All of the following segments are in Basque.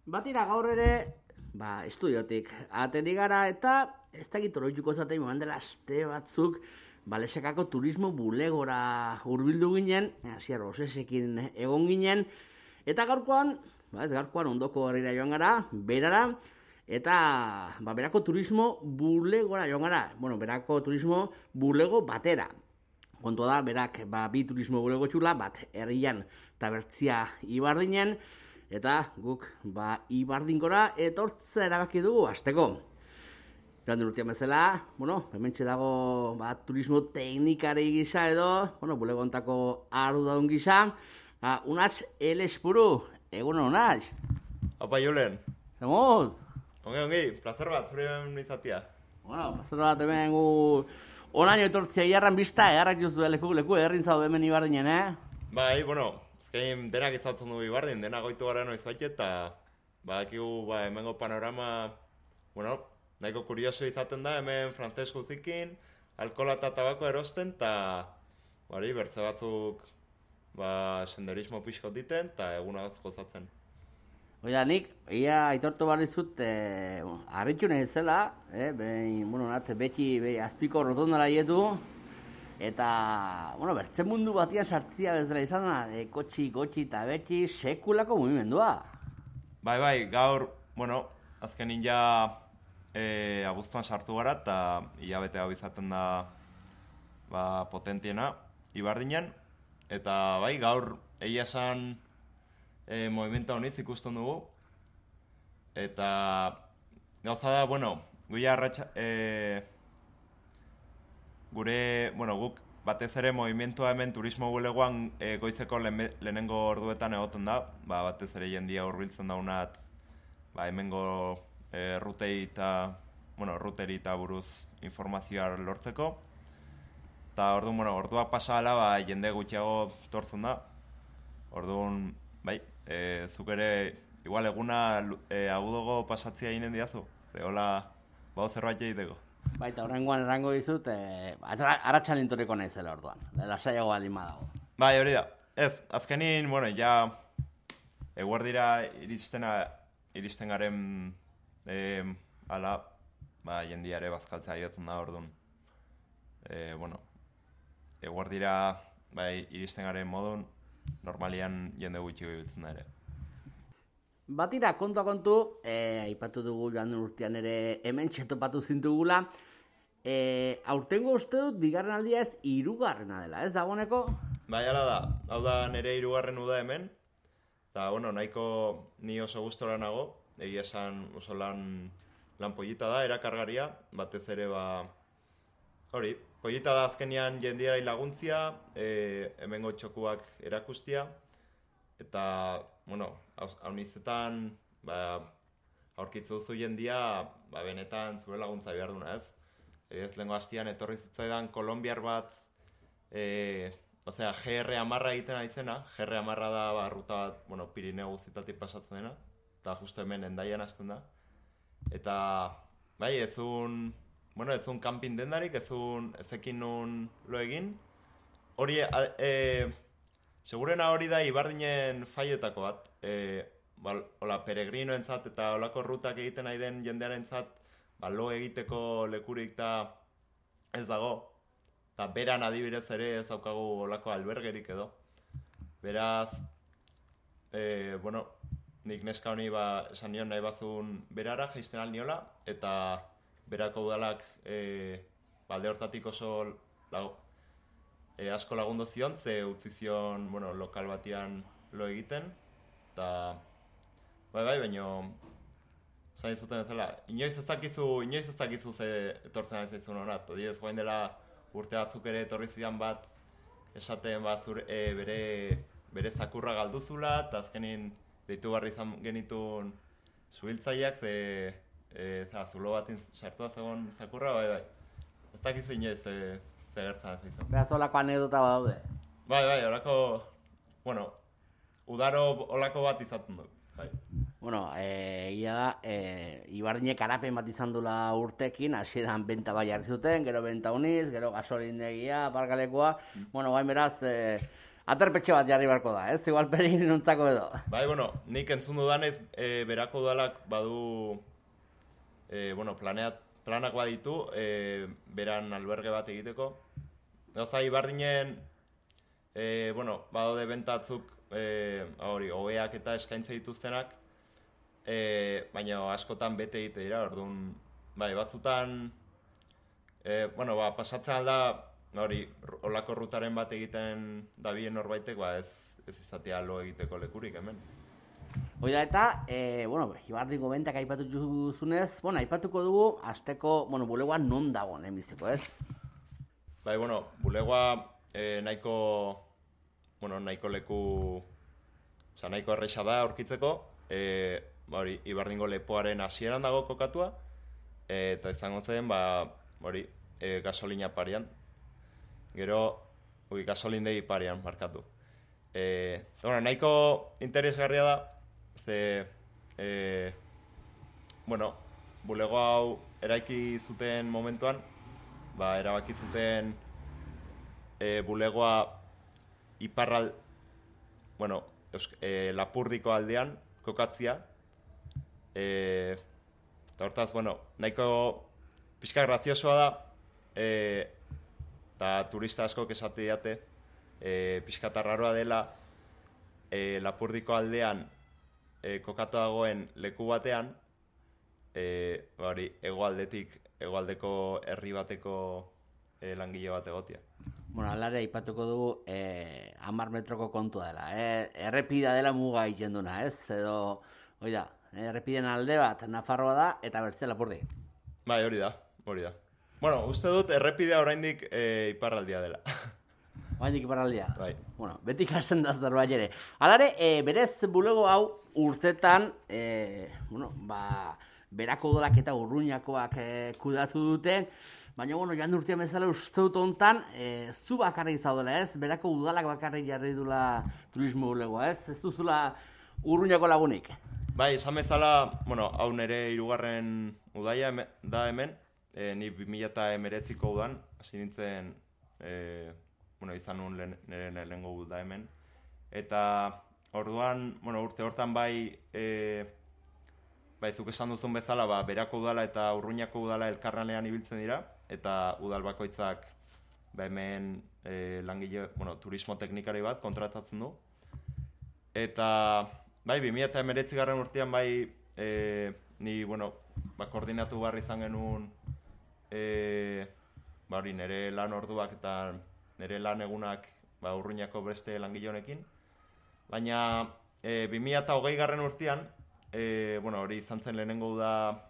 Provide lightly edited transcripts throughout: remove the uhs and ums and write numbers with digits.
Batira gaur ere, estudiotik ateri gara eta ez dakit oroituko zaten momen dela aste batzuk Lesekako turismo bulegora hurbildu ginen, hasier Rosesekin egon ginen, eta gaurkoan, ondoko herrira joan gara, berara, eta berako turismo bulegora joan gara, berako turismo bulego batera. Kontua da, berak bi turismo bulego txula, bat herrian eta bertzia Ibardinen, eta guk Ibardinkora etortza erabaki dugu hasteko. Joan den urtean bezala, hementxe dago turismo teknikari gisa edo, bulego ontako arduradun gisa, Unats Elespuru, egunon Unats? Apa Julen. Zemoz? Ongi, plazer bat, zure izatea. Plazer bat hemen gu onaino etortzea iarran bizta, eharrak juzu leku errin zaude hemen Ibardinen, Bai, ezkein denak izatzen du Ibardin, denak goitu gara noiz bait eta badakigu hemengo panorama, nahiko kurioso izaten da, hemen frantses guzikin, alkohola eta tabako erosten, eta bertze batzuk senderismo pixko diten, eta egunagaz gozatzen. Oida, nik, ia aitortu barri zut, harritu nahi zela, beti azpiko rotondara ietu, eta, bertze mundu batian sartzia bezala izan da, kotxi eta beti sekulako mugimendua. Bai, gaur, azkenin ja abuztuan sartu gara, eta hilabete hau izaten da potentiena Ibardinen, eta gaur egia esan movimenta honitz ikusten dugu, eta gauza da, guia guk batez ere movimentua hemen turismo bulegoan goizeko lehenengo orduetan egoten da, batez ere jendia hurbiltzen daunat hemengo ruteri eta buruz informazioa lortzeko, eta orduak pasa ala jende gutxiago tortzen da, orduan zuk ere igual eguna agudogo pasatzea ginen diazu, hola zerbait egiteko. Eta horrengoan errango dizut, arratxan intorriko naizela orduan, lasaiago baldin badago. Hori da. Ez, azkenin, ja eguerdira iristen garen jendiare bazkaltzea jotzen da orduan. Eguerdira iristen garen modun, normalian jende gutxi biltzen da ere. Batira, kontu, aipatu dugu joan den urtean ere hemen txetopatu zintugula, aurtengo uste dut bigarren aldia ez hirugarrena dela, ez dagoeneko? Hala da, hau da nire hirugarren uda hemen, eta nahiko ni oso gustora nago, egia esan oso lan pollita da, erakargaria, batez ere pollita da azkenean jendiari laguntzia, hemengo txokuak erakustia, eta, haunizetan aurkitzu duzu jendia, benetan zure laguntza behar duna, ez? Ez lehenko hastian etorri zitzaidan kolombiar bat, GR10 egiten aizena, GR10 da ruta bat, Pirineo guztietatik pasatzen dena, eta justu hemen Hendaian hasten da. Eta, ezun camping dendarik, ezekin nun lo egin. Hori, segurena hori da Ibardinen faiotako bat, peregrinoentzat eta olako rutak egiten nahi den jendearentzat, lo egiteko lekurik da ez dago, eta beran adibidez ere ez daukagu olako albergerik edo. Beraz, nik neska honi esan nion nahi bazun berara jaisten alniola, eta berako udalak alde hortatik oso asko lagundu zion, ze utzi zion lokal batian lo egiten, eta baina zain zuten ezela, inoiz ez dakizu ze etortzen ari zaizun honat, adibidez guain dela urte batzuk ere etorri zidan bat esaten bere zakurra galduzula, eta azkenin deitu barri izan genitun zuhiltzaileak, zulo batin sartu da zegoen zakurra, ez dakizu inoiz ze gertzen ari zaizun. Beraz olako anekdota badaude? Olako, udaro olako bat izaten dut. Egia da, Ibardinek garapen bat izan dula urtekin, hasieran benta jarri zuten, gero benta uniz, gero gasolindegia, parkalekoa, gain beraz, aterpetxe bat jarri barko da, ez? Igual peregrinontzako edo. Bai, bueno, nik entzun dudanez, berako udalak badu, planak baditu, beran alberge bat egiteko. Gauza, Ibardinen, badaude bentatzuk, hobeak eta eskaintze dituztenak, baina askotan bete egite dira, orduan, bai, batzutan, pasatzen alda, olako rutaren bat egiten dabien norbaitek, ez izatea lo egiteko lekurik hemen. Oida eta, Ibardiko bentak aipatu duzunez, aipatuko dugu, azteko, bulegoa non dago, lehenbiziko, ez? Bai, bulegoa nahiko leku, nahiko erresa da aurkitzeko, Ibardingo lepoaren hasieran dago kokatua, eta izango zen, gasolina parian. Gero, gasolindegi parian markatu. Nahiko interesgarria da, bulego hau eraiki zuten momentuan, erabaki zuten bulegoa Lapurdiko aldean kokatzia. Eta hortaz, nahiko pixka graziosoa da, eta turista askok esate diate, pixka tarraroa dela Lapurdiko aldean kokatu dagoen leku batean, hegoaldeko herri bateko langile bat egotia. Alare aipatuko dugu 10 metroko kontua dela. Errepida dela muga egiten duna, ez? Edo, errepiden alde bat Nafarroa da eta bertze Lapurdi. Bai, hori da. Uste dut errepidea oraindik iparraldia dela. Oraindik iparraldia? Bai. Beti ikasten da zerbait ere. Alare, berez bulego hau urtetan, berako udalak eta Urruñakoak kudatu dute, baina, joan urtean bezala uste dut hontan, zu bakarrik zaudela, ez? Berako udalak bakarrik jarri dula turismo bulegoa, ez? Ez duzula Urruñako lagunik? Bai, esan bezala, hau nire 3. udaia da hemen, ni 2019ko udan, hasi nintzen, izan nuen nire lehengo uda hemen. Eta orduan, urte hortan zuk esan duzun bezala, berako udala eta Urruñako udala elkarranean ibiltzen dira, eta udal bakoitzak hemen langile, turismo teknikari bat kontratatzen du. Eta 2019 urtean ni, koordinatu behar izan genuen nire lan orduak eta nire lan egunak Urruñako beste langile honekin. Baina 2020 urtean, hori izan zen lehenengo da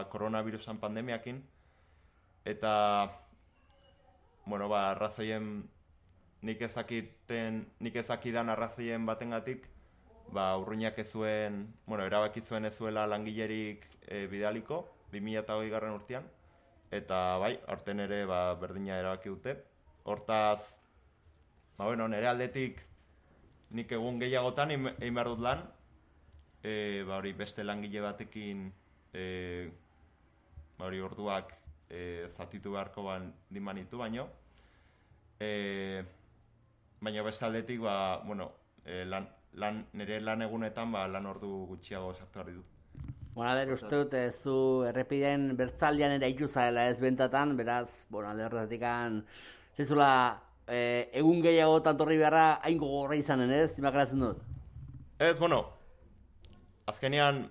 koronavirusan pandemiakin, eta arrazoien nik ezakidan arrazoien batengatik, Urruñak erabaki zuen ez zuela langilerik bidaliko 2020 urtean, eta aurten ere berdina erabaki dute. Hortaz, nire aldetik nik egun gehiagotan egin behar dut lan, beste langile batekin orduak zatitu beharko dimanitu baino. Baina beste aldetik, nire lan egunetan lan ordu gutxiago sartu behar ditut. Uste dut, zu errepideen bertzaldean ere ikuzarela ez bentatan, beraz, alde horretatik zezula egun gehiagotan torri beharra hain gogorra izanen, ez? Imaginatzen dut? Ez, azkenean,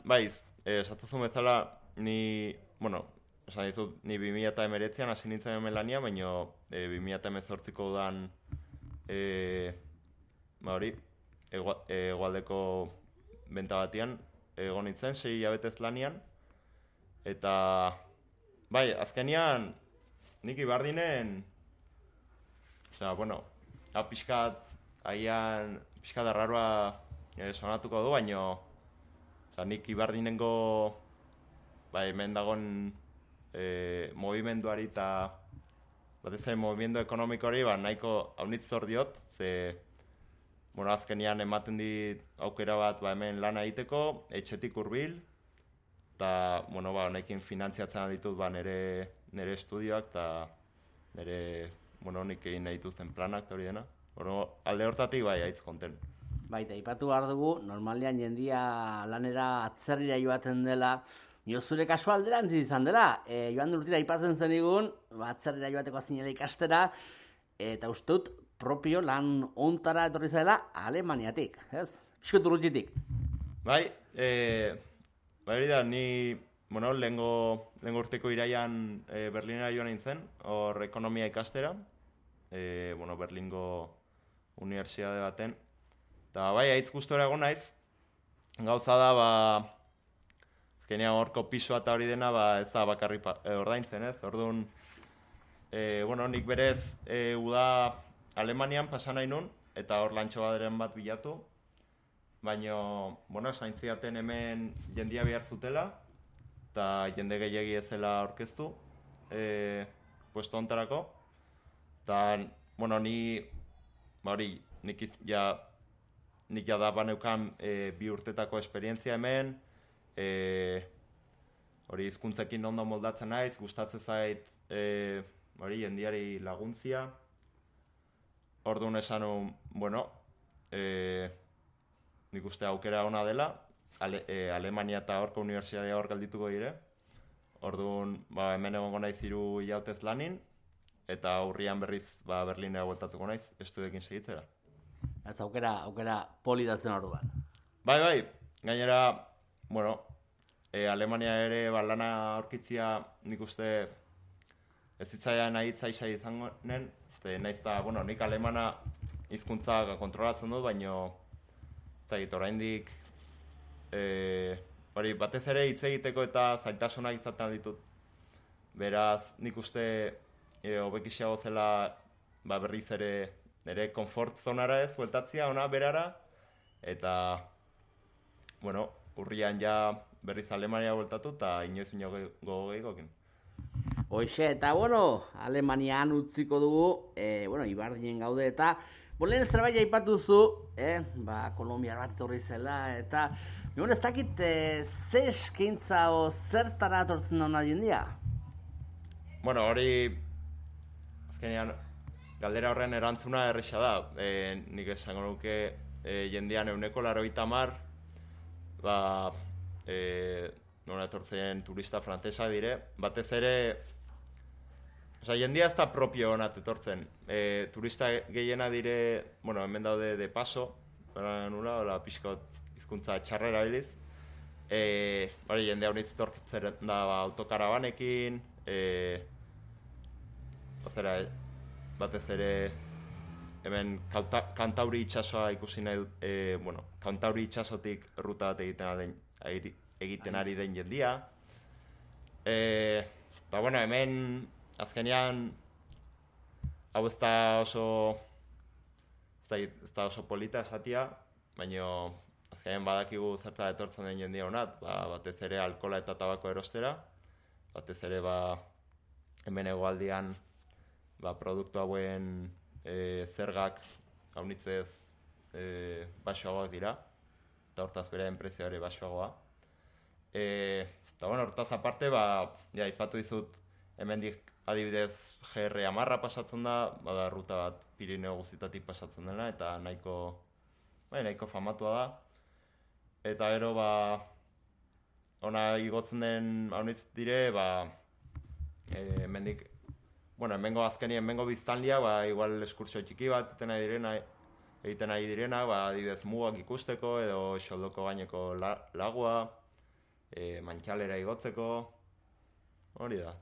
esatuzun bezala, ni 2019an hasi nintzen hemen lania, baina 2018ko udan hegoaldeko benta batian egon nintzen, 6 hilabetez lanian, eta azkenean nik Ibardinen pixkat arraroa sonatuko du, baina nik Ibardinengo hemen dagoen movimenduari eta batez ere movimendu ekonomikoari nahiko haunitz zor diot, azkenean ematen dit aukera bat hemen lana egiteko, etxetik hurbil, eta honekin finantziatzen ditut nire estudioak eta nire nik egin nahi dituzten planak eta hori dena. Bueno, alde hortatik bai, aitz konten. Baita, ipatu behar dugu, normalean jendia lanera atzerrira joaten dela, zure kasu alderantzi izan dela, joan dut urtira aipatzen zenigun, atzerrira joateko zinela ikastera, eta uste dut propio lan ontara etorri zela Alemaniatik, ez? Piskot urrutitik. Bai, hori da, ni, bueno, lehengo urteko iraian Berlinera joan nintzen, hor ekonomia ikastera, bueno, Berlingo unibertsitate baten. Eta bai, aitz gustora egon naiz, gauza da, azkenean horko pisua eta hori dena, ez da bakarri ordaintzen, ez? Orduan, bueno, nik berez uda Alemanian pasa nahi nun, eta hor lantxo baderen bat bilatu, baina, bueno, esain zidaten hemen jendia behar zutela, eta jende gehiegi ezela aurkeztu, puesto hontarako, eta, bueno, nik da baneukan 2 urtetako esperientzia hemen, hori hizkuntzekin ondo moldatzen naiz, gustatzen zait jendiari laguntzia. Orduan esan, bueno, nik uste aukera ona dela, Alemania eta horko unibertsitatea hor geldituko dire. Orduan, hemen egongo naiz 3 hilautez lanin, eta urrian berriz Berlinera bueltatuko naiz, estudioekin segitzera. Ez aukera polidatzen orduan. Bai, gainera, bueno, Alemania ere lana aurkitzia nik uste ez zitzaidan ahitzaisa izango nen, nahiz eta, bueno, nik alemana hizkuntza kontrolatzen dut, baina oraindik batez ere hitz egiteko eta zailtasunak izaten ditut. Beraz, nik uste hobekixiago zela berriz ere konfort zonara ez, bueltatzia ona berara, eta, bueno, urrian ja berriz Alemania bueltatu eta inoiz gogo gehikokin. Hoxe, eta, bueno, Alemanian utziko dugu, bueno, Ibardinen gaude, eta, lehen zerbait aipatuzu, Kolombiar bat etorri zela, eta, ez dakit, ze eskaintza o zertara etortzen da jendia? Bueno, hori, azkenean, galdera horren erantzuna erresa da. Nik esango nuke jendean 90% nora etortzen turista frantsesa dire. Batez ere, jendia ez da propio honat etortzen. Turista gehiena dire, bueno, hemen daude de paso, nula, pixkot hizkuntza txarrera biliz. Jendea honiz etortzen da autokarabanekin, batez ere hemen Kantauri itsasoa ikusi nahi dut, Kantauri itsasotik ruta bat egiten ari den jendia. Eta, bueno, hemen azkenean hau ez da oso polita esatia, baina azkenean badakigu zerta etortzen den jendia honat, batez ere alkola eta tabako erostera, batez ere hemen hegoaldean produktu hauen zergak haunitzez baxuagoak dira, eta hortaz bere prezioa ere baxuagoa. Eta, bueno, hortaz aparte, aipatu dizut, hemendik adibidez GR10 pasatzen da, bada ruta bat Pirineo guztietatik pasatzen dela, eta nahiko famatua da. Eta gero, ona igotzen den haunitz dire, hemendik, bueno, hemengo biztanlia, igual eskursio txiki bat egiten ari direna, adibidez mugak ikusteko, edo xoldoko gaineko lagua, mantxalera igotzeko, hori da.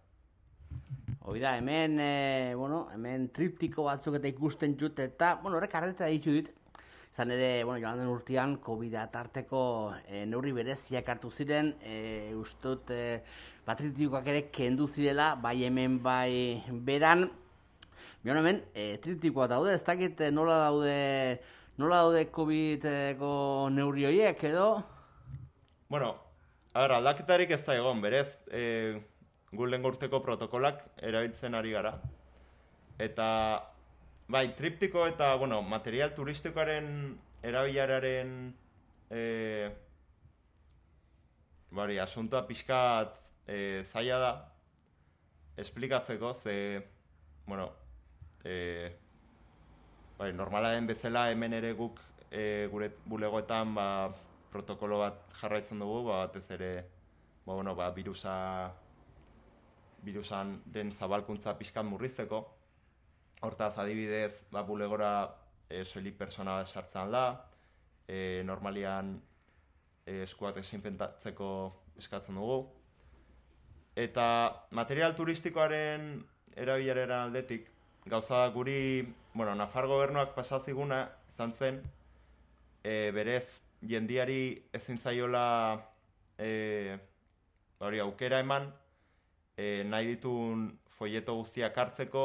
Hori da, hemen triptiko batzuk eta ikusten dut, eta, horrek arreta ditu dit, izan ere, joan den urtean, COVID-a tarteko neurri bereziak hartu ziren, ustot, triptikoak ere kendu zirela, bai hemen, bai beran. Hemen, triptikoa daude, ez dakit nola daude COVID-eko neurri horiek, edo? Bueno, aldaketarik ez da egon, berez, gu lehen urteko protokolak erabiltzen ari gara. Eta, triptiko eta, material turistikoaren erabilararen asuntoa pixkat zaila da esplikatzeko, ze, bai, normala den bezala hemen ere guk gure bulegoetan protokolo bat jarraitzen dugu, batez ere virusan den zabalkuntza pixkat murrizteko. Hortaz, adibidez, bulegora soilik pertsona sartzen da, normalian eskuak desinfektatzeko eskatzen dugu. Eta material turistikoaren erabileraren aldetik, gauza da guri, Nafar gobernuak pasatziguna izan zen, berez jendiari ezin zaiola aukera eman, nahi ditun folleto guztiak hartzeko,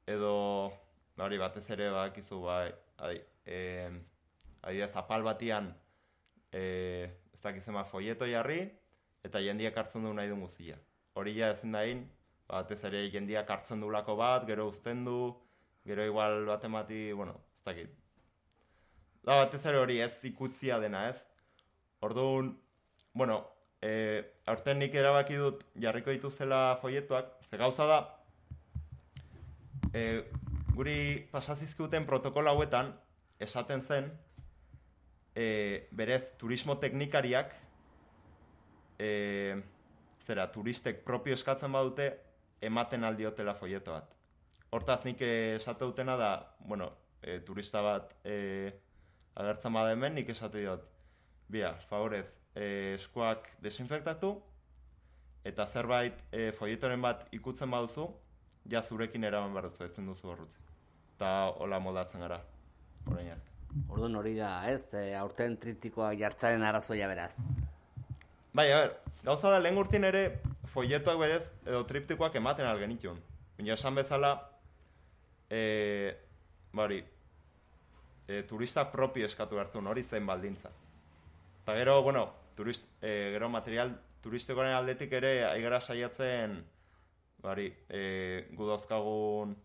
edo batez ere badakizu adibidez apal batian ez dakizema folleto jarri eta jendiak hartzen du nahi duen guztia. Hori ja ezin dain, batez ere jendiak hartzen dulako bat, gero uzten du, gero igual bat emati, ez dakit. Batez ere hori ez ikutzia dena ez. Orduan, aurten nik erabaki dut jarriko dituzela folletoak, ze gauza da, guri pasazizkuten protokolo hauetan esaten zen berez turismo teknikariak turistek propio eskatzen badute ematen aldiotela folleto bat. Hortaz nik esate dutena da, turista bat agertzen bada hemen, nik esate diot, bira, favorez, eskuak desinfektatu eta zerbait folletoren bat ikutzen baduzu, ja zurekin eraman behar duzu, ezin duzu horrutzi. Eta hola moldatzen gara, orain arte. Orduan hori da, ez? Aurten triptikoak jartzaren arazoia beraz. Bai, gauza da, lehen urtin ere folletoak berez edo triptikoak ematen algenitun. Baina esan bezala, turistak propio eskatu hartun, hori zen baldintza. Eta gero, gero material turistikoaren aldetik ere aigara saiatzen gu dauzkagun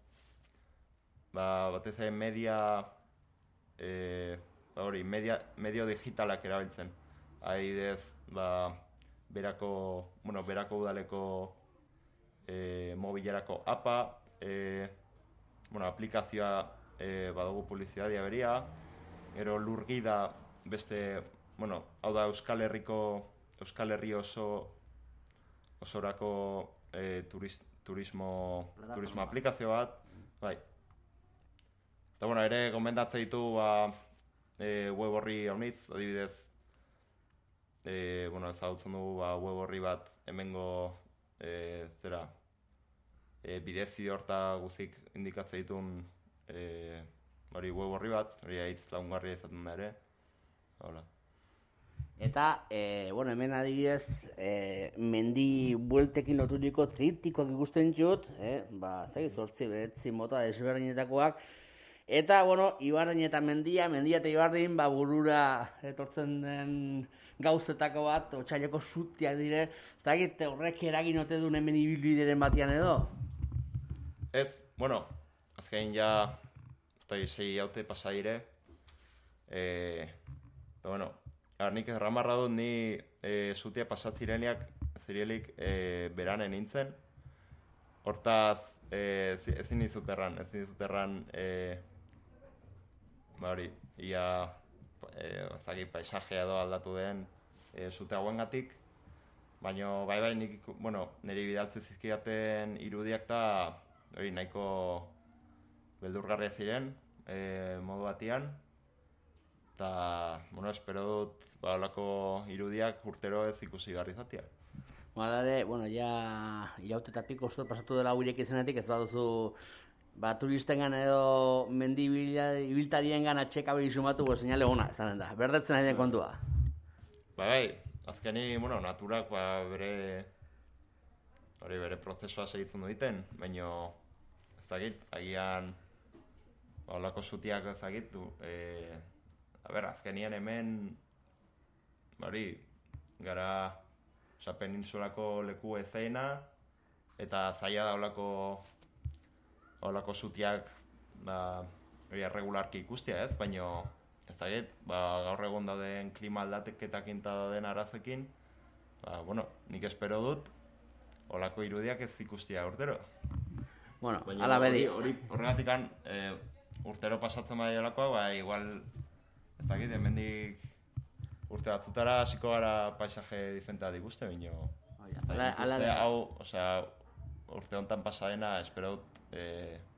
batez ere medio digitalak erabiltzen. Adibidez, berako udaleko mobilerako apa, aplikazioa badugu publizitatea beria, gero lurgida beste, hau da Euskal Herri osorako turismo aplikazio bat, bai. Eta ere gomendatzen ditu web horri haunitz, adibidez, ezagutzen dugu web horri bat hemengo bidezi horta guzik indikatzen ditun web horri bat, hori haitz lagungarria izaten da ere. Hola. Eta, hemen adibidez, mendi bueltekin loturiko triptikoak ikusten dut, zortzi behetzi mota desberdinetakoak, eta, Ibardin eta mendia eta Ibardin, burura etortzen den gauzetako bat, otsaileko zutiak dire, ez dakit horrek eragin ote duen hemen ibilbideren batian edo? Ez, azkein ja, 6 haute pasa dire, nik erramarra dut ni zutia pasatzireniak zirielik beranen nintzen. Hortaz, ezin dizut erran, ia paisajea edo aldatu den zute hauengatik. Baina, bai, nik, niri bidaltzen zizkidaten irudiak eta nahiko beldurgarria ziren, modu batian. Eta, espero dut, holako irudiak urtero ez ikusi behar izatea. Ja iraute eta piko uste pasatu dela hauirek izanetik, ez baduzu turistengan edo mendi ibiltariengan atxeka hori sumatu, seinale ona, esanen da, berdetzen ari den kontua. Bai, azkeni, naturak bere prozesua segitzen duten, baina ez dakit, agian holako zutiak ez dakit, azkenian hemen, gara peninsulako leku ezeina, eta zaila da holako zutiak regularki ikustia ez, baina ez dakit, gaur egon dauden klima aldaketak eta dauden arazekin, nik espero dut holako irudiak ez ikustia urtero. Ala bedi. Horregatik urtero pasatzen badiolakoa, ba, igual, ez dakit, hemendik urte batzutara hasiko gara paisaje diferenteak ikuste, bino. Hau, osea, urte honetan pasadena, espero dut,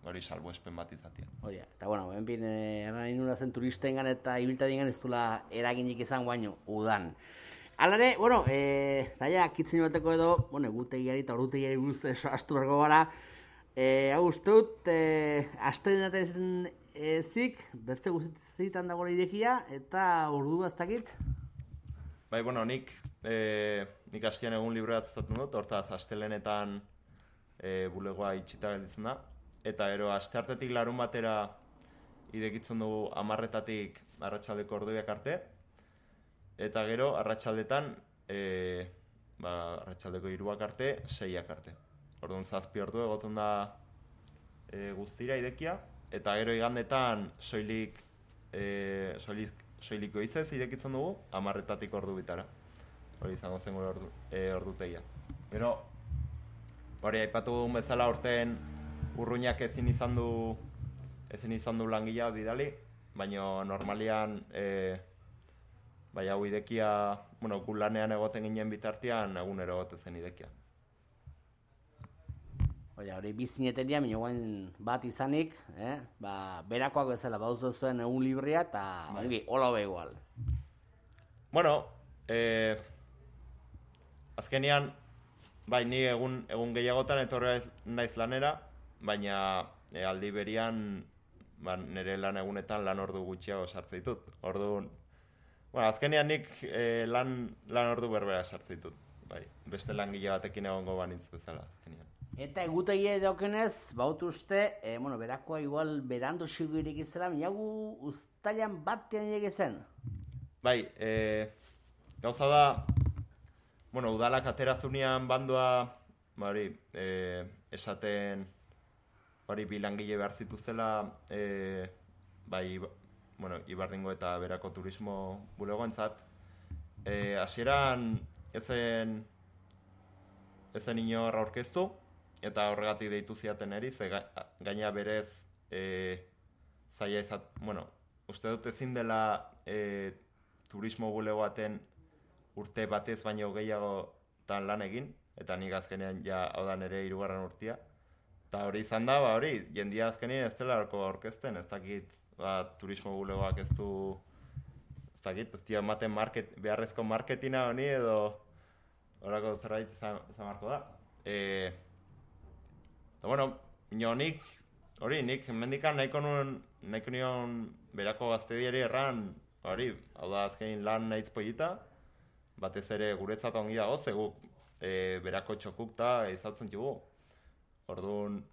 hori salbuespen bat izatea. Oia, eta bueno, benpin, erran inura zen turistengan eta ibiltariengan ez dula eraginik izan baino, udan. Alare, bueno, daia, kitzen bateko edo, bueno, egutegiari eta ordutegiari buruz astu bergo gara, hau uste dut, astrenaten zik, bertze guztietan dago irekia, eta ordu baztakit? Bai, bueno, nik hastian egun libre bat zatu dut, hortaz, astelenetan bulegoa itxita gelditzen da, eta gero, asteartetik larun batera idekitzen dugu 10:00-tatik arratsaldeko orduak arte, eta gero, arratsaldetan, arratsaldeko 3:00 arte, 6:00 arte. Orduan 7 ordu egoten da guztira idekia, eta gero igandetan soilik goizez idekitzen dugu 10:00-tatik ordu bitara. Hori izango zen gure ordutegia. Gero, hori aipatu dugun bezala urten urruñak ezin izan du langilea bidali, baina normalian bai hau idekia, bueno, gu lanean egoten ginen bitartean egunero egoten zen idekia. Hori bizineteria, minioen bat izanik, berakoak bezala baduzu zuen egun librea eta hola hobe igual. Bueno, azkenean, bai, ni egun gehiagotan etorri naiz lanera, baina aldi berian nire lan egunetan lan ordu gutxiago sartzen ditut. Orduan, bueno, azkenean nik lan ordu berbera sartzen ditut. Bai, beste langile batekin egongo banitz bezala azkenean. Eta egutegia daukenez, bautu uste, berakoa igual berando sigo irekizela, minagu uztailan batean irekizen? Bai, gauza da, udalak aterazunean bandua, esaten, bi langile behar zituztela, Ibardingo eta Berako turismo bulegoentzat. Hasieran ezen inor aurkeztu, eta horregatik deitu ziaten eri, gaina berez zaila izat, uste dut ezin dela turismo bulegoaten urte batez baino gehiagotan lan egin, eta nik azkenean hau da nire 3. urtea. Eta hori izan da, jendia azkenean ez dela aurkezten, ez dakit, turismo bulegoak ez dira ematen beharrezko marketina honi edo horako zerbait izan marko da. Eta nik mendikan nahiko nion Berako gaztediari erran, hau da azkenin lan nahitz pollita, batez ere guretzat ongi dago, zegu Berako txokukta izautzen dugu. Orduan,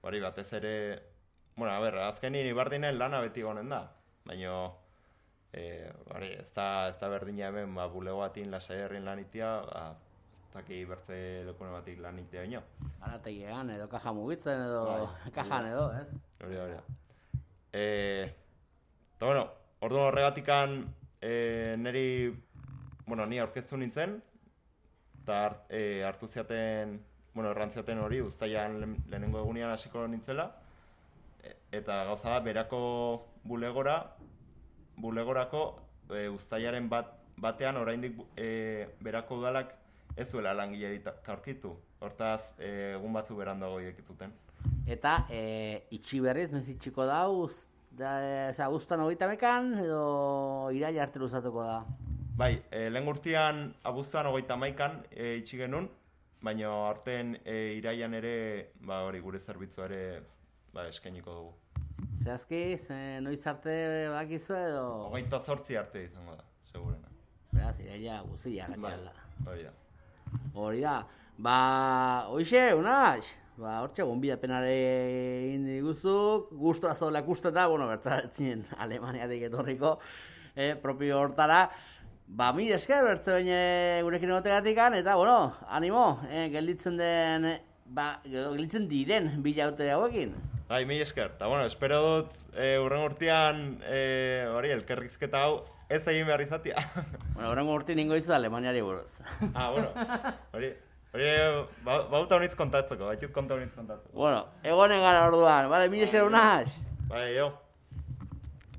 batez ere, azkenin Ibardinen lana beti gonen da, baina ez da berdina hemen bulego batin lasai herrin lanitia, ez daki bertze lekune batik lanitia baino. Arategian edo kaja mugitzen edo kajan edo, ez? Hori. Eta orduan horregatikan ni aurkeztu nintzen, eta hartu ziaten, errantziaten hori, uztailan lehenengo egunean hasiko nintzela, eta gauza da, Berako bulegorako uztailaren batean oraindik Berako udalak ez zuela langilerik aurkitu. Hortaz, egun batzu berandago irekizuten. Eta itxi berriz, noiz itxiko da, abuztuan 30 edo iraila arte luzatuko da? Bai, lehen urtean abuztuan 31 itxi genuen, baina aurten irailan ere, gure zerbitzua ere eskainiko dugu. Zehazki, noiz arte bakizu edo? 28 arte izango da, segurena. Beraz, iraila guzia gatiala. Hori da. Hoxe, Unax, hortxe gonbidapenare egin diguzu, gustora zola ikusteta, bertzaratzen Alemaniatik etorriko, propio hortara. Mil esker, bertze baina gurekin egotegatikan, eta, animo, gelditzen diren bilaute hauekin. Mil esker, eta, espero dut, hurrengo urtean, elkarrizketa hau, ez egin behar izatea. Hurrengo urtean ningo izu Alemaniari buruz. Hori. Hori, bauta honitz kontatzeko, baituk konta honitz kontatzeko. Bueno, egonen gara orduan, vale, mila esker unaz? Bai, jo.